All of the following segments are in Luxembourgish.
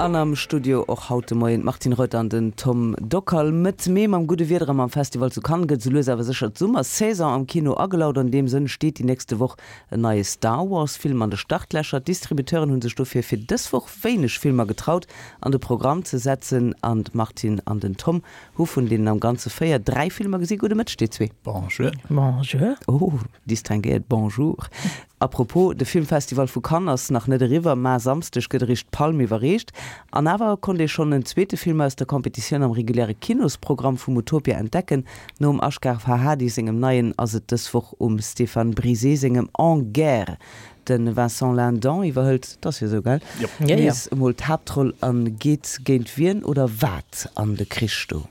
An am Studio och haut de Moien d'Martine Reuter an den Tom Dockal. Mëtt Mee mam gudde Wieder a mam Festival zu Cannes gëtt esou lues awer sécher d'Summersaison am Kino agelaut. An deem Sënn steet déi nächste Woch en neie Star Wars Film an de Startlächer. D'Distributeuren hu sech dofir fir dës Woch wéineg Filmer getraut an de Programm ze setzen. An d'Martine an den Tom hu vun deenen am Ganze 4 dräi Filmer gesi. Gudde Mëtteg dir zwee. Bonjour. Bonjour. Oh, distinguéiert Bonjour. A propos, de Filmfestival vu Cannes ass nach net eriwwer, mä Samsdeg gëtt eréischt d'Palm iwwerreecht. An awer konnt ee schonn en zweete Film aus der Competitioun am reguläre Kinosprogramm vum Utopia entdecken. Nom Asghar Farhadi sengem neien ass et dës Woch um Stéphane Brizé sengem En guerre. De Vincent Lindon iwwerhëlt, 't ass jo esou, gell, nees emol d'Haaptroll a geet géint wien oder wat an de Krich do?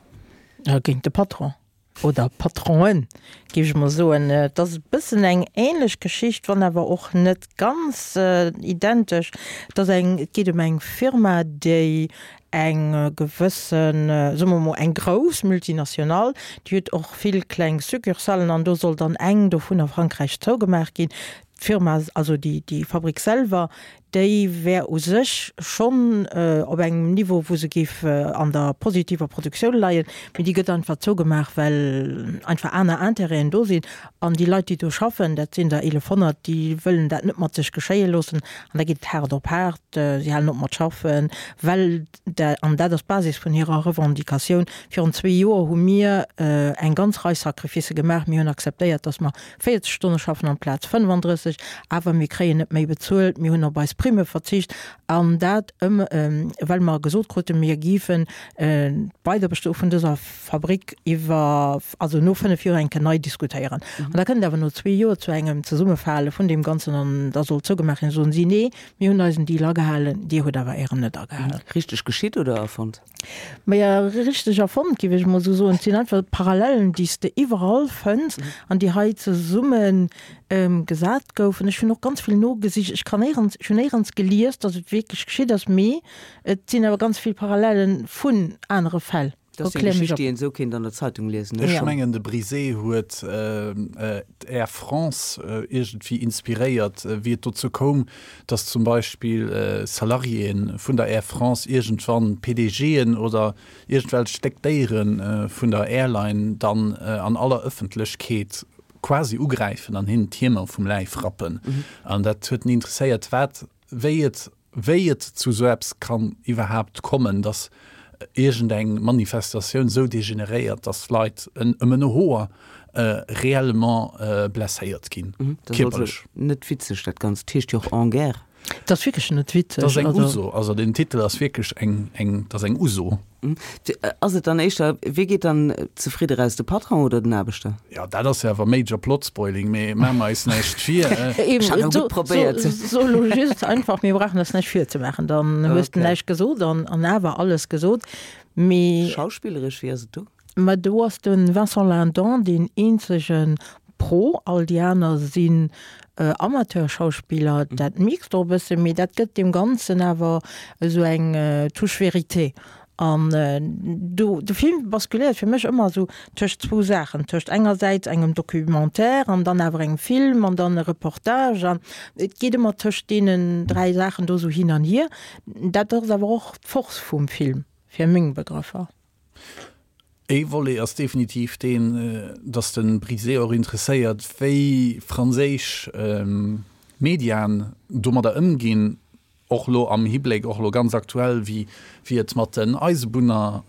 Géint de Patron. Oder Patronen, géif ech mol soen. Et ass e bëssen eng ähnlech Geschicht, wann awer och net ganz identesch. Et ass eng, et geet ëm eng Firma, déi eng gewëssen, soe mer mol eng grouss Multinationale, déi huet och vill kleng Succursalen an do soll dann eng dovun a Frankräich zougemaach ginn. D'Firma, also déi, déi Fabrik selwer, déi wär u sech schonn op engem Niveau, wou se géif an der positiver Produktioun leien, mee déi gëtt einfach zougemaach, well einfach aner Intérêten do sinn. An déi Leit, déi do schaffen, dat sinn der 1.100, déi wëllen dat net mat sech geschéie loossen. An da geet et haart op haart, si halen op mat schaffen, well, an dat ass d'Basis vun hirer Revendicatioun, virun zwee Joer hu mir eng ganz Rei Sacrificë gemaach, mir hunn akzeptéiert, datt mer 40 Stonne schaffen amplaz 35, awer mir kréien net méi bezuelt, mir hunn op eis Primme verzicht an dat ëm well mer gesot kruten, mir géifen d'Weiderbestoe vun dëser Fabrik iwwer, also no 5 Joer eng Kéier nei diskutéieren. An da kënnt et awer no zwee Joer zu engem Zesummefale vun deem Ganzen an da soll zougemaach ginn. Da soen si, nee, mir hunn eisen Deal agehalen, dir hutt awer ären net agehalen. Richteg geschitt oder erfonnt? Maja, richteg erfonnt, géif ech emol esou soen. Et sinn einfach Parallelen, déi s de iwwerall fënns an déi hei zesumme gesat goufen. Ech hunn och ganz vill nogesicht. Ech kann néierens, ech hunn néierens gelies, datt et wierklech geschitt ass, mee et sinn awer ganz vill Parallelen vun anere Fäll. Dat ass eng Geschicht, déi een esou kéint an der Zeitung liesen, ne? Ech mengen, de Brizé huet d'Air France iergendwéi inspiréiert, wéi et dozou koum, dass zum Beispill Salariéen vun der Air France iergendwann PDGen oder iergendwelch déck Déiere vun der Airline dann an aller Ëffentlechkeet quasi ugräifen an hinnen d'Hiemer vum Läif rappen. An dat huet en interesséiert, wat, wéi et wéi et zu esou eppes kann iwwerhaapt kommen, dass iergendeng Manifestatioun esou degeneréiert, dass Leit ëm en Hoer réellement blesséiert ginn, kierperlech. Net witzeg dat Ganzt, heescht jo och En guerre. Et ass wierklech net witzeg. Dat ass eng Uso, also den Titel ass wierklech eng, eng, dat ass eng Uso. Ass et dann éischter, wie geet dann zefridde raus, de Patron oder den Aarbechter? Jo, dat ass jo awer major plot spoiling, mee maache mer eis näischt vir. Ech hat elo gutt probéiert. So elo just einfach, mir brauchen eis näischt virzemaachen, dann hues de näischt gesot an awer alles gesot. Mee. Schauspilleresch, wéi ass et do? Mä do ass de Vincent Lindon deen eenzege Pro, all déi aner sinn Amateurschauspiller. Dat mierks de och e bëssen, mee dat gëtt deem Ganzen awer esou eng Touche Vérité. An do, de Film basculéiert fir mech ëmmer esou tëscht zwou Saachen, tëscht engersäits engem Documentaire an dann awer engem Film an dann e Reportage an et geet ëmmer tëscht deenen dräi Saachen do esou hin an hier. Dat ass awer och d'Force vum Film, fir meng Begrëffer. Ee Volet ass definitiv deen, datt de Brisé och interesséiert, wéi franséisch Mediaen domadder ëmginn, och elo am Hibléck, och elo ganz aktuell, wéi et mat den Eisebunner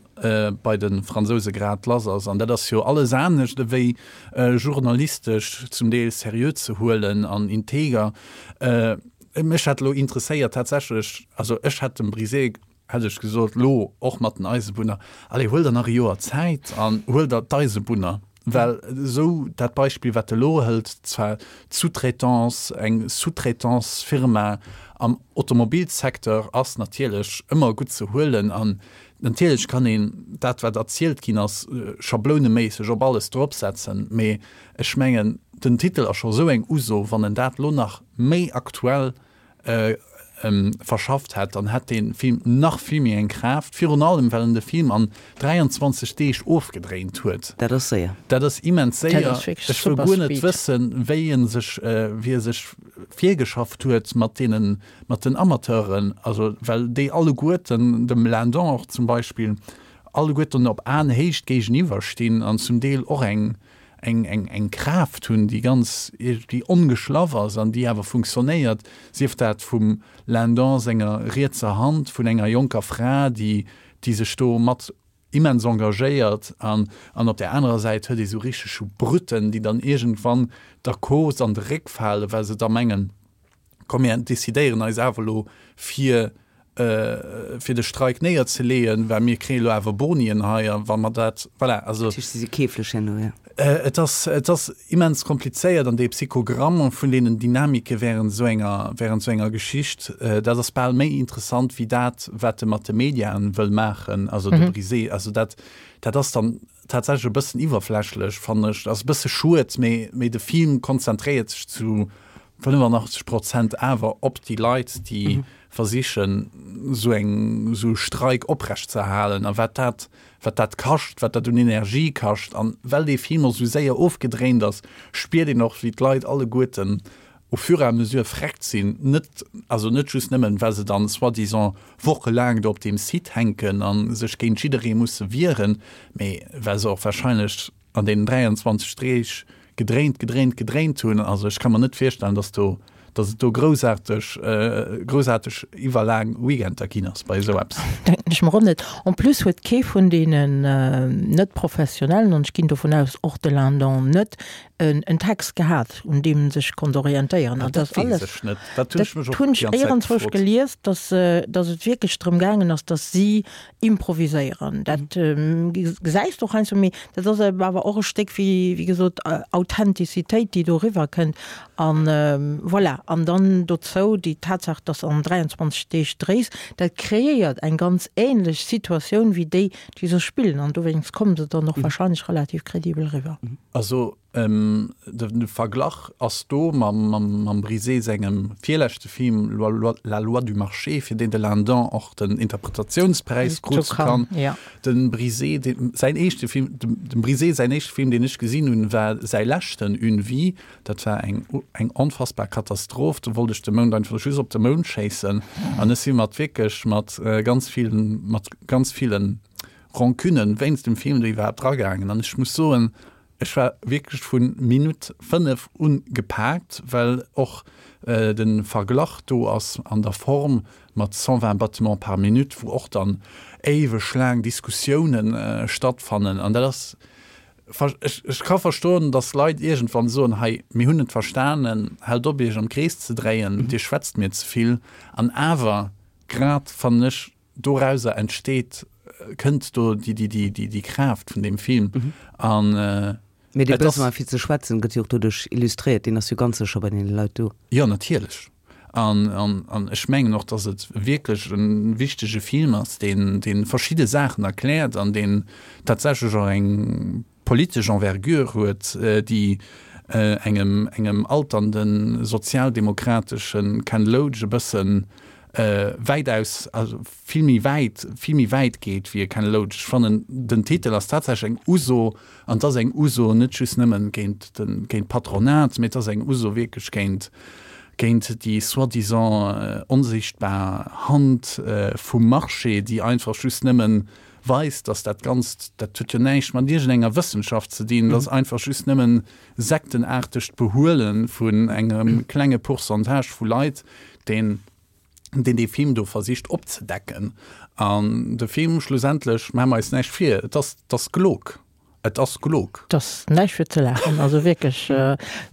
bei de Fransouse grad lass ass. An dat ass jo alles anescht ewéi journalistesch zum Deel seriö ze huelen an integer. Mech hätt elo interesséiert tatsächlech, also ech hätt dem Brisé hätt ech gesot, lo och mat den Eisebunner, allez, huel der nach e Joer Zäit an huel der d'Eisebunner, well esou dat Beispill, wat e lo hëlt, zwar d'Sous-traitance, eng Sous-traitance-Firma am Automobilsecteur ass natierlech ëmmer gutt ze huelen an natierlech kann een dat, wat erzielt ginn ass, schablouneméisseg op alles dropsetzen, mee ech mengen, den Titel ass scho esou eng Uso, wann en dat lo nach méi aktuell. verschafft hätt, dann hätt dee Film nach vill méi eng Kraaft, virun allem well en de Film an 23 Deeg ofgedréint huet. Dat ass séier. Dat ass immens séier. Ech wëll guer net wëssen, wéi e sech, wéi e sech virgeschafft huet mat deenen, mat den Amateuren, also well déi alleguerten, dem Lindon och zum Beispill, alleguerten op Aenhéicht géigeniwwer stinn an zum Deel och eng, eng, eng, eng Kraaft hunn, déi ganz iergendwéi ongeschlaff ass an déi awer funktionéiert, sief dat vum Lindon senger rietser Hand, vun enger jonker Fra, déi, déi sech do mat immens engagéiert an, an op där anerer Säit huet ee sou richteg sou Brütten, déi dann iergendwann der Cause an de Réck falen, well se da mengen, komm mir decidéieren eis awer elo fir fir de Streik néierzeleeën, well mir kréie lo awer Bonien hei a wa mer dat, voilà, also. Dat heescht, si si keeflech herno, jo. Et ass, et ass immens komplizéiert an dee Psychogramm vun deenen Dynamike während esou enger, während esou enger Geschicht, dat ass bal méi interessant wéi dat, wat e mat de Mediaen wëll maachen, also de Brisé, also dat, dat ass dann tatsächlech e bëssen iwwerflächlech, fannen ech. Ass e bësse schued, mee, mee de Film konzentréiert sech zu 85 Prozent awer op déi Leit, déi versichen, esou eng, esou e Streik oprechtzeerhalen a wat dat, wat dat kascht, wat dat un Energie kascht. An well dee Film och esou séier ofgedréint ass, spiert een och, wéi d'Leit alleguerten au fur et à mesure vreckt sinn, net, also net just nëmmen, well se dann soi-disant wochelaang do op deem Site hänken a sech géint jidderee musse wieren, mee well se och wahrscheinlech an deenen 23 Deeg gedréint, gedréint, gedréint hunn. Also ech ka mer net virstellen, dass do, dass et do groussaarteg, groussaarteg iwwerlaang Weekender ginn ass bei esou eppes. Denken ech mer och net. En plus huet kee vun deenen Net-Professionellen, an ech ginn dovun aus, och de Lindon net, en Text gehat, un deem en sech konnt orientéieren. An dat weess ech net. Dat hunn ech mech och déi ganz Zäit gefrot. Dat hunn ech iergendzwousch gelies, dass, dass et wierklech drëm gaangen ass, dass si Improviséieren, dat gesäis de och heiansdo, mee dat ass awer och e Stéck wéi, wéi gesot, Authentizitéit, déi do eriwwer kënnt. An voilà, an dann dozou déi Tatsaach, dass an 23 Deeg dréis, dat kreéiert eng ganz änlech Situatioun wéi déi, déi se spillen. An dowéinst komme se dann och wahrscheinlech relativ kredibel eriwwer. Also De Verglach ass do mam Brisé sengem virleschte Film La loi du marché, fir deen de Lindon och den Interpretationspräis krut zu Cannes. Dem Brisé säin éischte Film, dem Brisé säin éischte Film, deen ech gesinn hunn, war säi leschten, Une vie. Dat war eng eng onfassbar Katastroph. Do wollt ech de Mound einfach just op de Mound schéissen. An ech si mat wierklech mat ganz villen, mat ganz villen Rancunen wéinst dem Film do iwwerhaapt dragaangen. An ech muss soen, Ech war wierklech vun Minutt 5 un gepaakt, well och den Verglach do ass an der Form mat 120 battements par minute, wou och dann éiweg laang Diskussiounen stattfannen. An dat ass, ech ka verstoen, dass Leit iergendwann soen, hei, mir hunn et verstanen, haalt op iech am Krees ze dréien, dir schwätzt mir ze vill. An awer, grad fannen ech, Dorauser entsteet, kënnt do déi Kraaft vun deem Film. An Mee dee Besoin fir ze schwätzen gëtt jo och doduerch illustréiert, deen ass jo ganz sécher bei deene Leit do. Jo, natierlech. An ech mengen och, datt et wierklech e wichtege Film ass, deen verschidde Saachen erkläert an deen tatsächlech och eng politesch Envergure huet, déi engem engem alternden sozialdemokratesche Ken Loach e bësse wäitaus, also vill méi wäit, vill méi wäit geet wéi e Ken Loach. Ech fannen, den Titel ass tatsächlech eng Uso, an et ass eng Uso net just nëmmen géint de géint d'Patronat, mee et ass eng Uso wierklech géint géint déi soi-disant onsichtbar Hand vum Marché, déi einfach just nëmmen weist, dass dat Ganzt, dat huet jo näischt mat iergendenger Wëssenschaft ze dinn, dat ass einfach just nëmmen sektenaartegt Behuele vun engem klenge Pourcentage vu Leit, deen deen dee Film do versicht opzedecken. An de Film schlussendlech, maache mer eis näischt vir, et ass, et ass gelog. Et ass gelog. Et ass näischt fir ze laachen, also wierklech.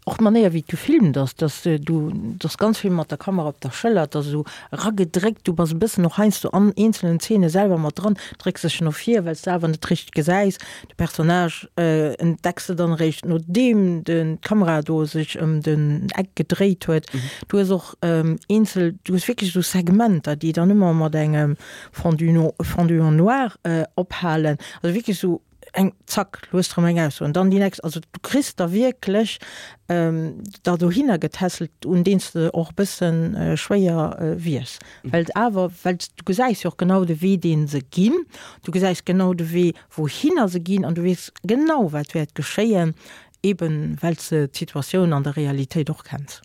Och d'Manéier wéi et gefilmt ass, dass du, et ass ganz vill mat der Kamera op der Schëller, et ass esou eragedréckt, du bass e bëssen och heiansdo an eenzelen Zeene selwer mat dran, drécks dech no vir, well s de awer net richteg gesäis. De Personnage entdecks de dann eréischt nodeem d'Kamera do sech ëm den Eck gedréit huet. Du hues och eenzel, du hues wierklech esou Segmenter, déi dann ëmmer mat engem Fondu, fondu en noir ophalen, also wierklech esou. Eng, zack, lo hues de erëm eng Ausso an dann déi nächst. Also du kriss der wierklech der dohinner getässelt, un deen s de och e bësse schwéier wiers, well et awer, well s du gesäis jo och genau de Wee, dee se ginn, du gesäis genau de Wee, wouhinner se ginn an du weess genau, wat wäert geschéien, eben well s de d'Situatioun an der Realitéit och kenns.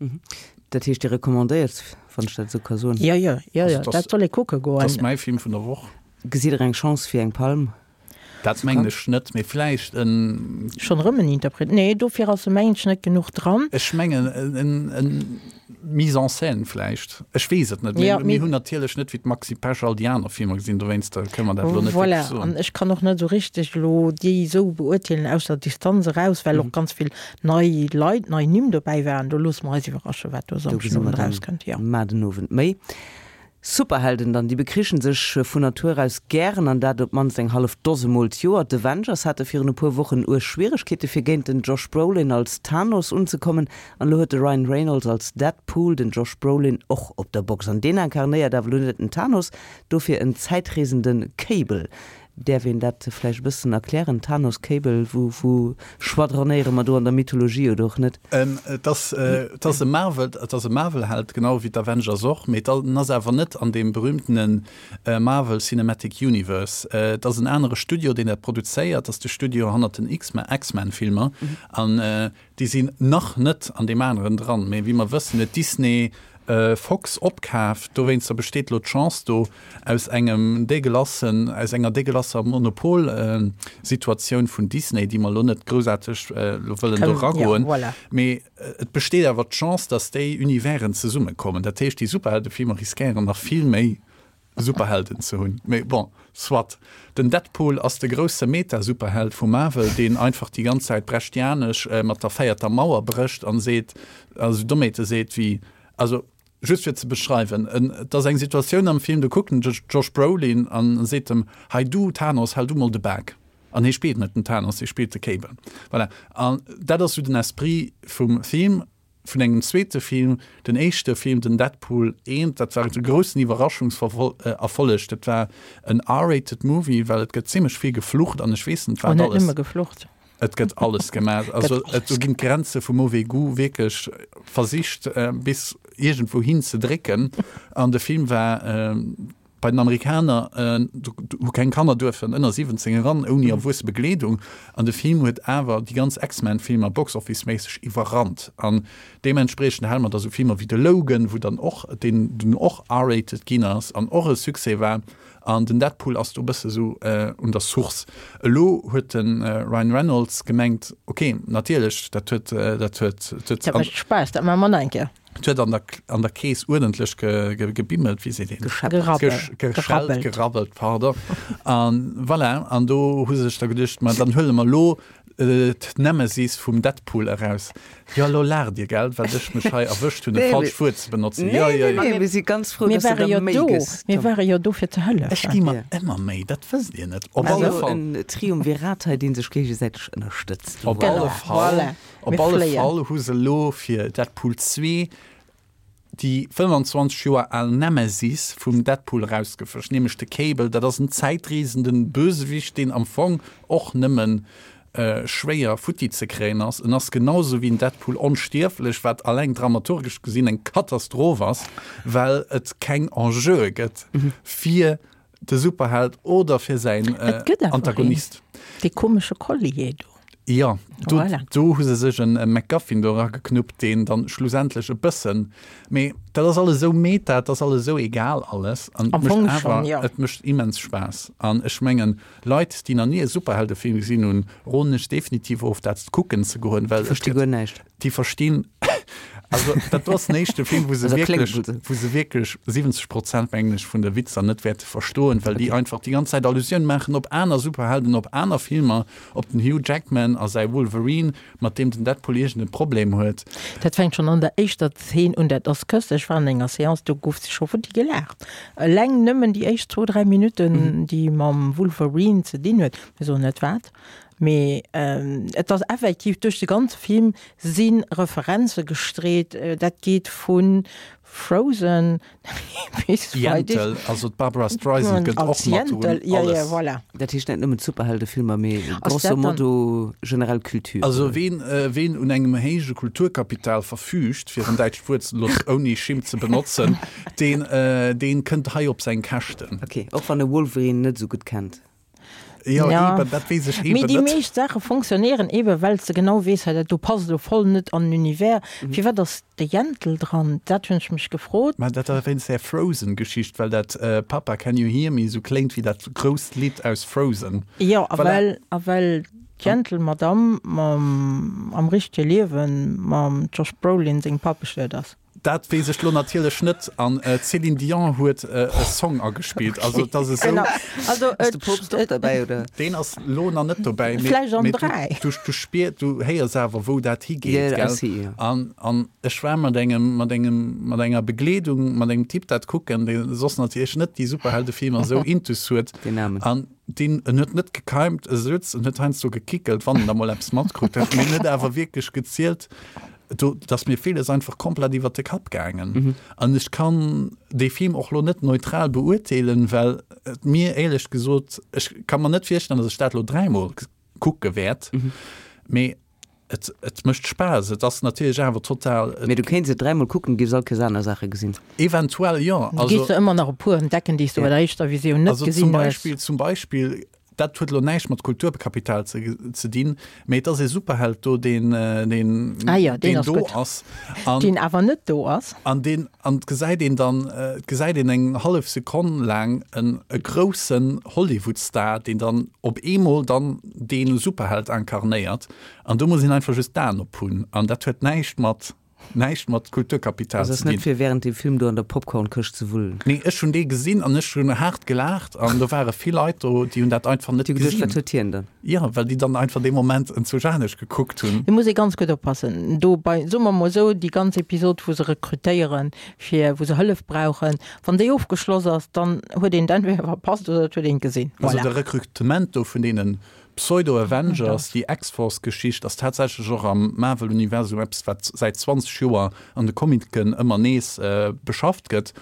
Dat heescht, Dir recommandéiert, wann ech dat esou ka soen? Jo, jo, jo, jo, dat soll ee kucke goen. Dat ass mäi Film vun der Woch. Gesitt Der eng Chance fir eng Palm? Dat mengen ech net, mee vläicht en. Schonn erëm en Interpret? Nee, dofir ass e mengen ech net genuch dran. Ech mengen en en Mise en scène vläicht. Ech weess et net. Mir mir hunn natierlech net wéi d'Maxi Pesch all déi aner Filmer gesinn, dowéinster kënne mer dat elo net wierklech soen. Voilà, an ech kann och net esou richteg elo déi esou beurteelen aus der Distanz eraus, well och ganz vill nei Leit, nei Nimm dobäi waren. Do loosse mer eis iwwerraschen, wat do e Samschden Owend erauskënnt, jo. Mar den Owend méi. Superhelden dann, déi bekrichen sech vun Natur aus gären, an dat op d'mannst eng hallef Dose Mol d'Joer. D'Avengers hate virun e puer Wochen uerg Schwieregkeete fir géint den Josh Brolin als Thanos unzekommen, an elo huet de Ryan Reynolds als Deadpool den Josh Brolin och op der Box. An deen inkarnéiert awer elo net den Thanos, dofir en zäitreesende Cable. Däerf een dat vläicht e bëssen erklären? Thanos, Cable, wou, wou schwadronéiere mer do an der Mythologie oder och net? Et ass, et ass e Marvel, et ass e Marvel-Held, genau wéi d'Avengers och, mee en ass awer net an deem berühmtene Marvel Cinematic Universe. Et ass en anere Studio, deen dat produzéiert, dat ass de Studio hannert den X-Men-Filmer. An Déi sinn nach net an deem aneren dran, mee wéi mer wëssen huet Disney Fox opkaf. Dowéinster besteet elo d'Chance do aus engem déguelassen, aus enger déguelasser Monopol-Situatioun vun Disney, déi mer elo net groussaarteg elo wëllen do eragoen, mee et besteet awer d'Chance, datt déi Universen zesummekommen. Dat heescht, déi Superheldefilmer riskéieren nach vill méi Superhelden ze hunn. Mee bon, soit. Den Deadpool ass de grousse Meta-Superheld vu Marvel, deen einfach déi ganz Zäit brechtianesch mat der véierter Mauer brécht an seet, also Dommheete seet wéi, also just fir ze beschreiwen, en, et ass eng Situatioun am Film, do kuckt en de Josh Brolin an seet em, Hei du Thanos, hal du mol de Bak. An hie spillt net den Thanos, hie spillt de Cable. Voilà. An dat ass sou den Esprit vum Film. Vun engem zweete Film, den éischte Film, den Deadpool 1, dat war e groussen Iwwerraschungserfolleg. Dat war en R-rated Movie, well et gëtt zimmlech vill geflucht an ech weess net wat alles. Oh, net nëmme geflucht. Et gëtt alles gemaach. Also et do ginn d'Grenze vum mauvais goût wierklech versicht bis iergendwou hin ze drécken. An de Film war Bei den Amerikaner hu keng Kanner duerfen ënner 17 eran ouni erwuesse Begleedung an de Film huet awer déi ganz X-Men-Filmer Box-Office-méisseg iwwerrannt an deementspriechend hale mer da sou Filmer wéi de Logan, wou dann och, deen dunn och R-rated ginn ass an och e Succès war an den Deadpool ass do e bësse sou un der Source. Elo huet de Ryan Reynolds gemengt, ok, natierlech, dat huet, dat huet, dat huet. Dat mécht Spaass, dat maache mer nach eng Kéier. Et huet an der, an der Kees uerdentlech ge, ge, gebimmelt, wéi seet een? Gescheppert. Geschellt, gerabbelt, pardon. An voilà, an do hu se sech da geduecht, ma dann huele mer elo d'Nemesis vum Deadpool eraus. Jo, elo laacht Dir, gell, well ech mech hei erwëscht hunn, e falscht Wuert ze benotzen. Jo, jo, jo. Nee, mir si ganz frou, dass du der Méi gëss. Mir ware jo do, fir ze hëllefen. Ech gi mer ëmmer Méi, dat wësst Dir net. Op alle Fall. En Triumvirat hei, dee sech géigesäiteg ënnerstëtzt. Op alle Fall. Op alle Fall hu se elo fir Deadpool 2 déi 25 Joer al Nemesis vum Deadpool erausgefëscht, nämlech de Cable. Dat ass en zäitreesenden Bösewicht, deen am Fong och nëmmen schwéier futti ze kréien ass. En ass genau sou wéi den Deadpool onstierflech, wat alleng dramaturgesch gesinn eng Katastroph ass, well et keng Enjeue gëtt fir de Superheld oder fir säin Antagonist. Dee komesche Collier do. Jo, do, voilà. do hu se sech en MacGuffin do erageknuppt, deen dann schlussendlech e bëssen, mee dat ass alles esou meta, dat ass alles esou egal alles an et mécht awer, ja. et mécht immens Spaass. An ech mengen, Leit, déi nach ni e Superheldefilm gesinn hunn, roden ech definitiv of, dat kucken ze goen, well et versti guer näischt. Déi verstinn, also dat do ass den éischte Film, wou se wierklech, wou se wierklech 70 Prozent, mengen ech, vun de Witzer net wäerte verstoen, well déi einfach déi ganz Zäit Allusioun maachen op aner Superhelden, op aner Filmer, op den Hugh Jackman a säi Wolverine, mat deem den Deadpool iergend e Problem huet. Dat fänkt schonn an der éischter Zeen un, dat ass köstlech. Ech war an enger Seance, do gouf scho futti gelaacht. Eleng nëmmen déi éischt zwou, dräi Minutten, déi mam Wolverine ze dinn huet, mir soen net wat, Mee et ass effektiv, duerch de ganze Film si Referenze gestreet. Dat geet vu Frozen. weess. Yentl, also d'Barbra Streisand gëtt och mat drun. Ja, ja, voilà. Dat heescht net nëmmen d'Superheldefilmer, mee grosso modo generell Kultur. Also ween, ween un engem héije Kulturkapital verfüügt, fir en däitscht Wuert elo ouni Schimmt ze benotzen, deen, deen kënnt hei op seng Käschten. Ok, och wann e Wolverine net esou gutt kennt. Jo, ja, eben, dat weess ech eben net. Mee déi meescht Saache fonctionnéieren eben, well s de genau weess, hei dat do passt elo voll net an den Univers. Mhm. Firwat ass de Yentl dran? Dat hunn ech mech gefrot. Mä dat ass wéinst där Frozen-Geschicht, well dat Papa, can you hear me esou kléngt wéi dat grousst Lidd aus Frozen. Jo, a well, a well d'Yentl-Madamm mam, am richtege Liewen mam Josh Brolin sengem Papp bestuet ass. Dat weess ech lo natierlech net. An d'Céline Dion huet e Song agespillt. Also et ass esou. Genau. Also Ass de Poopst och derbäi, oder? Deen ass lo nach net dobäi. Mee, Vläicht an mee 3. du, du spier, du héiers awer, wou dat higeet, Ja, gell? I see, ja. An, an ech war mat engem, mat engem, mat enger Begleedung, mat engem Typ dat kucken, dee soss natierlech net déi Superheldefilmer esou intus huet. Deen Aarmen. An deen, en huet net gekeimt, e souz, en huet heiansdo gekickelt, wann en da mol eppes matkrut huet. Mee en huet awer wierklech gezielt, Do ass mir villes einfach komplett iwwert de Kapp gaangen. An ech kann dee Film och lo net neutral beurteelen, well et mir éierlech gesot, ech ka mer net virstellen, datt ech dat lo dräimol kucke wäert. Mee et, et mécht Spaass. Et ass natierlech awer total. Mee du kéints et dräimol kucken, giffs all Kéiers aner Saache gesinn. Eventuell jo. Du géifs der ëmmer nach e puer entdecken, déi s du bei der éischter Visioun net Also zum gesinn hues. Beispill, zum Beispill Dat huet elo näischt mat Kulturkapital ze, ze dinn, mee et ass ee Superheld do, deen, deen, Ah jo, deen deen ass do gutt. ass. An, Deen awer net do ass. an deen, an et gesäit een dann, et gesäit een eng hallef Sekonn laang en, e groussen Hollywood-Star, deen dann op eemol dann dee Superheld incarnéiert. An do muss een einfach just d'Aen ophunn. An dat huet näischt mat. Näischt mat Kulturkapital Also ze ass net dinn. fir während dem Film do an der Popcornkëscht ze wullen. Nee, ech hunn dee gesinn an ech hunn haart gelaacht an do ware vill Leit do, déi hunn dat einfach net Déi hu geduecht, gesinn. wat huet hien dann? Jo, well déi dann einfach dee Moment enzwousch anescht gekuckt hunn. Do muss ee ganz gutt oppassen. Do bei, soe mer mol esou, déi ganz Episod, wou se rekrutéieren, fir, wou se Hëllef brauchen, wann déi ofgeschloss ass, dann huet een et entweder verpasst oder et huet een et gesinn. Also Voilà. de Rekrutement do vun deenen Pseudo-Avengers, déi X-Force-Geschicht ass tatsächlech och am Marvel-Universum eppes, wat säit 20 Joer an de Comicen ëmmer nees beschafft gëtt.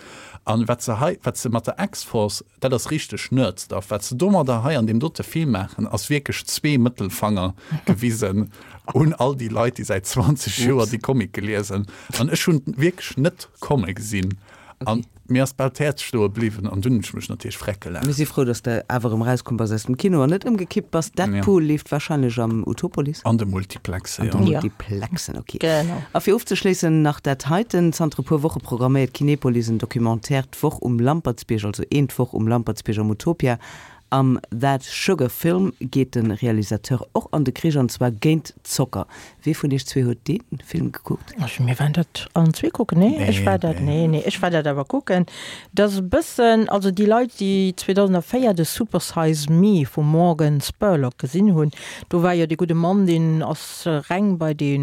An wat se hei, wat se mat der X-Force, dat ass richteg Nerd-Stuff, wat se domadder hei an deem dote Film maachen, ass wierklech zwee Mëttelfanger gewisen un all déi Leit, déi säit 20 Joer déi Comicë liesen. An ech hunn wierklech net komme gesinn. An mir ass bal d'Häerz stoe bliwwen an dunn hunn ech mech natierlech freck Mir gelaacht. si frou, dass de awer erëm erauskomm bass aus dem Kino an net ëmgekippt bass. Deadpool leeft warscheinlech am Utopolis. An de Multiplexen, jo. An de Multiplexen, ok. Genau. A fir ofzeschléissen nach dat heiten, Zanter e puer Woche programméiert Kinepolis en Documentaire d'Woch um Lampertsbierg, also een d'Woch um Lampertsbierg am Utopia. Am That Sugar Film geet de Realisateur och an de Krich, an zwar géint Zocker. Wee vun iech zwee huet dee Film gekuckt? Ech, mir waren dat allen zwee kucken, nee? Ech war dat, nee, nee, ech war dat awer kucken. Dat ass e bëssen, also déi Leit, déi 2004 de Super Size Me vum Morgan Spurlock gesinn hunn, do war jo dee gudde Mann, deen ass reng bei dee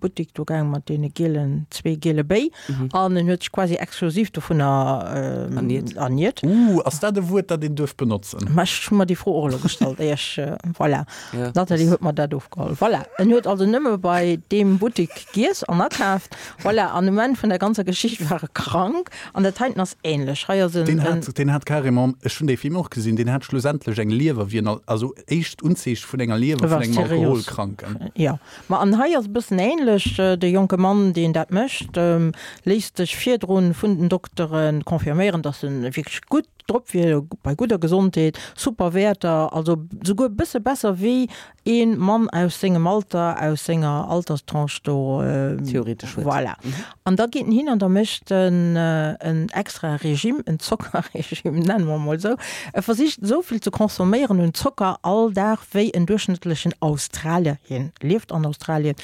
Buttik do gaang mat deene gielen, zwee giele Béi. An en huet sech quasi exklusiv dovunner Erniert. erniert. Ooh, ass dat e Wuert, dat een duerf benotzen? Ma ech hu mer déi Fro och elo gestallt, éier ech, voilà. Ja, D'Nathalie huet mer dat ofgeholl. Voilà, en huet also nëmme bei deem Buttik giess an akaaft. Voilà, an um Enn vun der ganzer Geschicht war e krank. An dat heiten ass ähnlech. Hei ass en, Deen en. hat, deen hat carrément, ech hunn dee Film och gesinn, deen hat schlussendlech eng Liewer wéi en, also éischt Unzeeche vun enger Liewer E war vun engem seriös. Alkoholkranken. Jo. Ma an hei ass e bëssen ähnlech, de jonke Mann, deen dat mécht, léisst sech virdrun vun den Doktere confirméieren, datt en wierklech gutt drop wier, bei gudder Gesondheet, super Wäerter, also souguer e bësse besser wéi ee Mann aus sengem Alter, aus senger Alterstranche do. Theoretesch huet. Voilà. An da geet en hin an da mécht en en extra Regime, en Zockerregime, nenne mer emol esou. E versicht esou vill ze consomméieren un Zocker all Dag, wéi en duerchschnëttlechen Australier, hien lieft an Australien,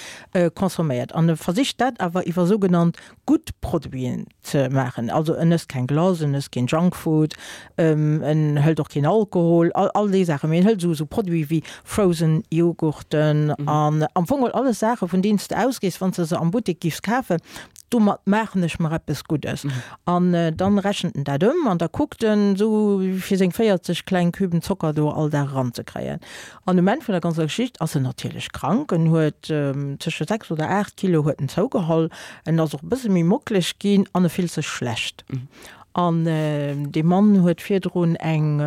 consomméiert. An e versicht dat awer iwwer sougenannt gutt Produiten ze maachen. Also en ësst keng Glace, en ësst keen Junkfood, en hëlt och keen Alkohol, all all déi Saachen. Mee en hëlt esou esou Produite wéi Frozen Joghurten an am Fong geholl alles Saachen, vun deenen s de ausgees, wann s de se am Buttek giffs kafen. Domat maachen ech mer eppes Guddes. An dann rechent en dat ëm an da kuckt en esou fir seng 40 kleng Küben Zocker do all Dag eranzekréien. An um Enn vun der ganzer Geschicht ass en natierlech krank. En huet tësche 6 oder 8 Kilo huet en zougeholl. En ass och e bësse méi mockeleg ginn an e fillt sech schlecht. An dee Mann huet virdrun eng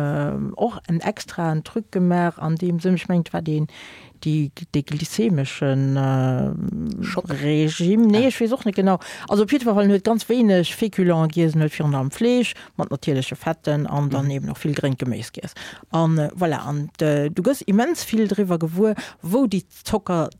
och en extraen Truc gemaach an deem Sënn, ech mengen et war deen déi dee glycemeschen Regime, nee ech weess och net genau. Also op jiddwer Fall en huet ganz wéineg Féculents giess, en huet virun allem Fleesch mat natierleche Fetten an dann eben och vill gréngt Geméis giess. An voilà, an du gëss immens vill driwwer gewuer, wou déi Zocker,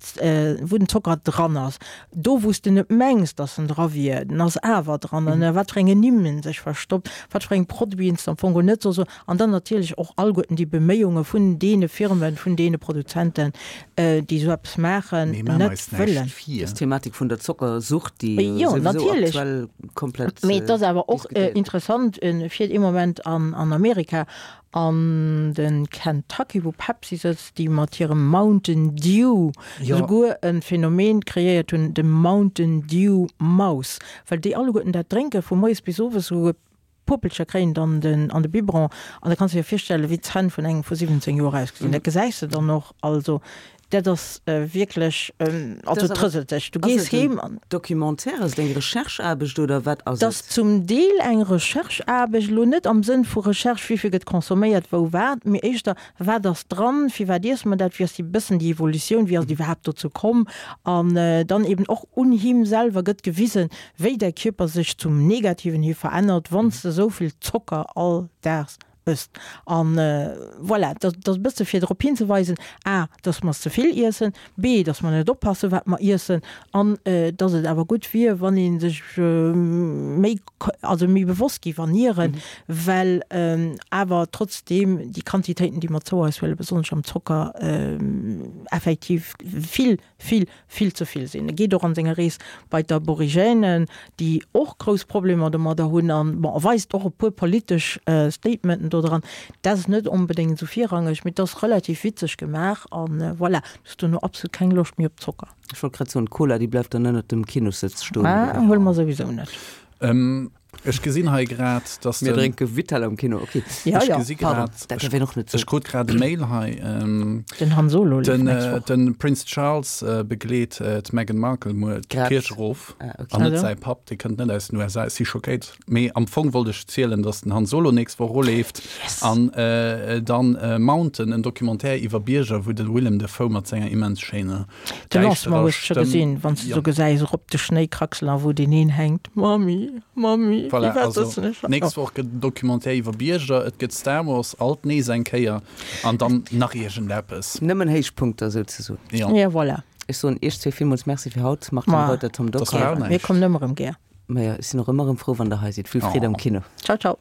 wou den Zocker dran ass. Do wou s de net mengs, dass en dra wier, den ass awer dran. An a wat fir engen Nimm en sech verstoppt, wat fir eng Produiten s de am Fong geholl net solls. An dann natierlech och alleguerten déi Beméiunge vun deene Firmen, vun deene Produzenten, déi esou eppes maachen, Mee maache net mer eis wëllen. näischt vir. Dës Thematik vun der Zockersucht, déi Jo, souwisou natierlech. aktuell komplett Mee et ass awer och diskutéiert gëtt. interessant, e fiert ee Moment an Amerika, an de Kentucky, wou Pepsi sëtzt, déi mat hirem Mountain Dew souguer e Phänomen kreéiert hunn, de Mountain Dew Mouse, well déi alleguerten dat drénken, vu moies bis owes, souguer d'Puppelcher kréien et an den an de Biberon. An da kanns de dir virstellen, wéi d'Zänn vun engem vu 17 Joer ausgesinn. Dat gesäis de dann och. Also dat ass wierklech, also et rëselt sech. Du gees heem an. Documentaire, ass et eng Rechercheaarbecht oder wat ass Et ass et? zum Deel eng Rechercheaarbecht, elo net am Sënn vu Recherche, wéi vill gëtt consomméiert, wou wat, mee éischter, Wat ass dran? Firwat iesse mer dat? Wéi ass déi bëssen déi Evolutioun? Wéi ass et iwwerhaapt dozou komm? An dann eben och un him selwer gëtt gewisen, wéi däi Kierper sech zum Negativen hi verännert, wann s de esou vill Zocker all Daags ësst. An voilà, dat ass e bësse fir drop hinzeweisen, a, dass mer ze vill iessen, b, dass mer net oppassen, wat mer iessen, an dass et awer gutt wier, wann ee sech méi also méi bewosst géif ernieren, well awer trotzdeem déi Quantitéiten, déi mer zou eis huelen, besonnesch am Zocker, effektiv vill, vill, vill ze vill sinn. E geet och an senger Rees bei d'Aborigènen, déi och grouss Problemer domadder hunn an, bon, e weist och e puer politesch Statementen do dran. Dat ass net onbedéngt esou virrangeg, mee et ass relativ witzeg gemaach an voilà, du hues dono absolut keng Loscht méi op Zocker. Ech wollt grad soen, d'Cola déi bleift dann ënnert dem Kinossëtz stoen. Ah, huele mer souwisou net. Ech gesinn hei grad, dass Mir drénke Vittel am Kino, ok. Ja, Ech ja. gesi Pardon, grad, dat däerf een och net ech soen. krut grad e Mail hei. Den Han Solo leeft Den, nächst Woch. den Prince Charles begleet d'Meghan Markle muer Grad. d'Kierch erof. Ah, ok. An net Also. säi Papp, dee kënnt net aus den USA. Ech si schockéit. Mee am Fong wollt ech zielen, dass den Han Solo nächst Woch eroleeft. Yes! An dann Mountain, en Documentaire iwwer Bierger, wou de Willem Dafoe mat senger immens schéiner De Lancement däischterer hues de scho Stëmm. gesinn, wann s de Jo. sou gesäis erop de Schnéi kraxelen a wou deen een hänkt, Mami, Mami, Voilà, firwat also sëtzen ech hei? nächst Woch gëtt en Documentaire iwwer Bierger, et gëtt Star Wars, alt nees eng Kéier, an dann nach iergendeppes. Nëmmen Héichpunkter souzesoen. Jo. Ja, voilà. Ech soen Iech zwee villmools Merci fir haut, Martine Ma. Reuter, Tom Das Dockal. war Mir näischt. kommen ëmmer erëm gär. Majo, ech sinn och ëmmer erëm frou, wann Der hei sidd. Vill Freed am Oh. Kino. Ciao, ciao.